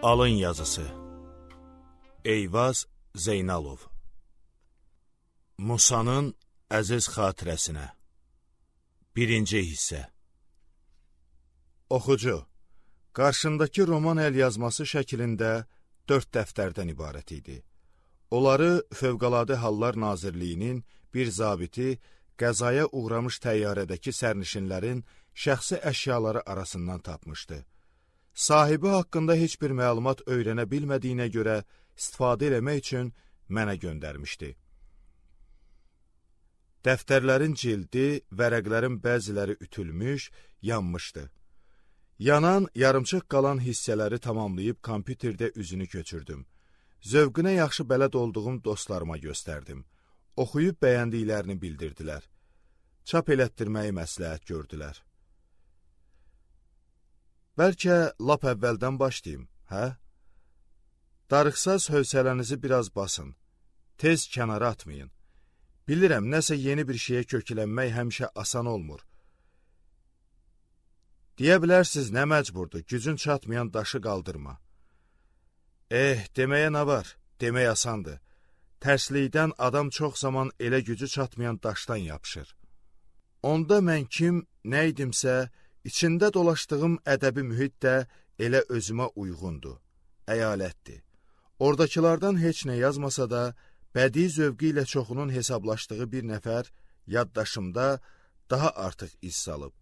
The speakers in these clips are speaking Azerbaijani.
Alın yazısı Eyvaz Zeynalov Musanın əziz xatirəsinə 1-ci hissə Oxucu, qarşındakı roman əlyazması şəklində 4 dəftərdən ibarət idi. Onları Fövqəladə Hallar Nazirliyinin bir zabiti qəzaya uğramış təyyarədəki sərnişinlərin şəxsi əşyaları arasından tapmışdı. Sahibi haqqında heç bir məlumat öyrənə bilmədiyinə görə istifadə eləmək üçün mənə göndərmişdi. Dəftərlərin cildi, vərəqlərin bəziləri ütülmüş, yanmışdı. Yanan, yarımçıq qalan hissələri tamamlayıb kompüterdə üzünü köçürdüm. Zövqünə yaxşı bələd olduğum dostlarıma göstərdim. Oxuyub bəyəndiklərini bildirdilər. Çap elətdirməyi məsləhət gördülər. Bəlkə lap əvvəldən başlayayım, hə? Darıxsaz hövsələnizi biraz basın. Tez kənara atmayın. Bilirəm, nəsə yeni bir şeyə köklənmək həmişə asan olmur. Deyə bilərsiniz, nə məcburdur, gücün çatmayan daşı qaldırma. Deməyə nə var? Demək asandır. Tərslikdən adam çox zaman elə gücü çatmayan daşdan yapışır. Onda mən kim, nə idimsə, İçində dolaşdığım ədəbi mühit də elə özümə uyğundur, əyalətdir. Oradakılardan heç nə yazmasa da, bədii zövqü ilə çoxunun hesablaşdığı bir nəfər yaddaşımda daha artıq iz salıb.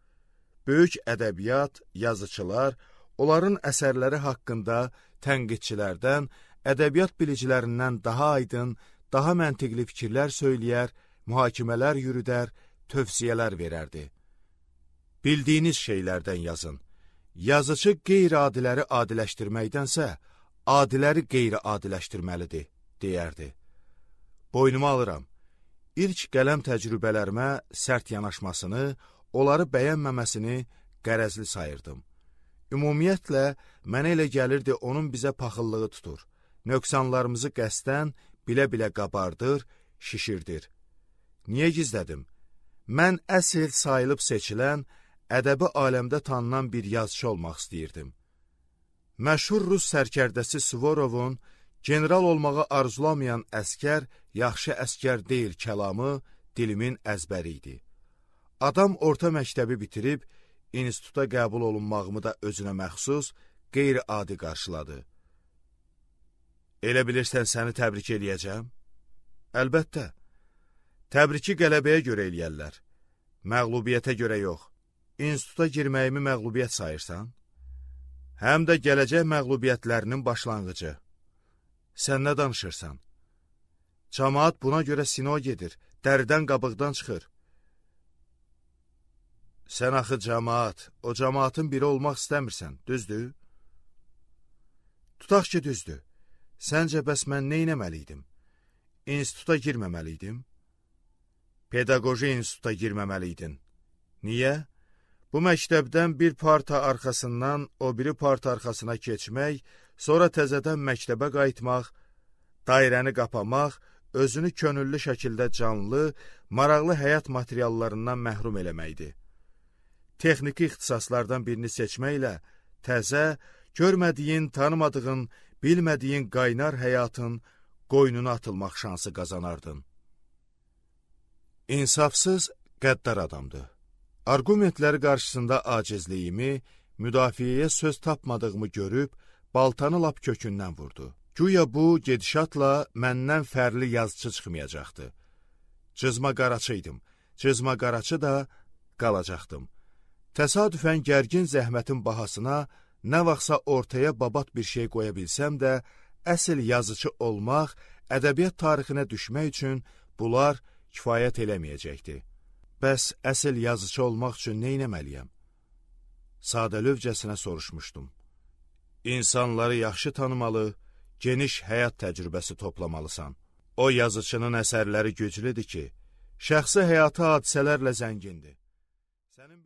Böyük ədəbiyyat, yazıçılar, onların əsərləri haqqında tənqidçilərdən, ədəbiyyat bilicilərindən daha aydın, daha məntiqli fikirlər söyləyər, mühakimələr yürüdər, tövsiyələr verərdi. Bildiyiniz şeylərdən yazın. Yazıcı qeyri-adiləri adiləşdirməkdənsə, adiləri qeyri-adiləşdirməlidir, deyərdi. Boynuma alıram. İlk qələm təcrübələrimə sərt yanaşmasını, onları bəyənməməsini qərəzli sayırdım. Ümumiyyətlə, mənə elə gəlirdi, onun bizə paxıllığı tutur. Nöqsanlarımızı qəsdən, bilə-bilə qabardır, şişirdir. Niyə gizlədim? Mən əsl sayılıb seçilən, ədəbi aləmdə tanınan bir yazıcı olmaq istəyirdim. Məşhur Rus sərkərdəsi Svorovun general olmağı arzulamayan əskər, yaxşı əskər deyil kəlamı dilimin əzbəri idi. Adam orta məktəbi bitirib, instituta qəbul olunmağımı da özünə məxsus, qeyri-adi qarşıladı. Elə bilirsən səni təbrik eləyəcəm? Əlbəttə. Təbriki qələbəyə görə eləyərlər. Məğlubiyyətə görə yox. İnstituta girməyimi məğlubiyyət sayırsan? Həm də gələcək məğlubiyyətlərinin başlanğıcı. Sən nə danışırsan? Camaat buna görə sino gedir, dəridən qabıqdan çıxır. Sən axı camaat, o camaatın biri olmaq istəmirsən, düzdür? Tutaq ki, düzdür. Səncə bəs mən nə etməliydim? İnstituta girməməliydim? Pedaqoji instituta girməməliydin. Niyə? Bu məktəbdən bir parta arxasından o biri parta arxasına keçmək, sonra təzədən məktəbə qayıtmaq, dairəni qapamaq, özünü könüllü şəkildə canlı, maraqlı həyat materiallarından məhrum eləməkdir. Texniki ixtisaslardan birini seçməklə təzə, görmədiyin, tanımadığın, bilmədiyin qaynar həyatın qoynuna atılmaq şansı qazanardın. İnsafsız, qəddar adamdır. Argumentləri qarşısında acizliyimi, müdafiəyə söz tapmadığımı görüb, baltanı lap kökündən vurdu. Güya bu, gedişatla məndən fərli yazıcı çıxmayacaqdı. Cızma qaraçı idim, cızma qaraçı da qalacaqdım. Təsadüfən gərgin zəhmətin bahasına, nə vaxtsa ortaya babat bir şey qoya bilsəm də, əsl yazıcı olmaq, ədəbiyyat tarixinə düşmək üçün bunlar kifayət eləməyəcəkdi. Bəs əsl yazıcı olmaq üçün nə etməliyəm? Sadəlövcəsinə soruşmuşdum. İnsanları yaxşı tanımalı, geniş həyat təcrübəsi toplamalısan. O yazıcının əsərləri güclüdür ki, şəxsi həyatı hadisələrlə zəngindir. Sənin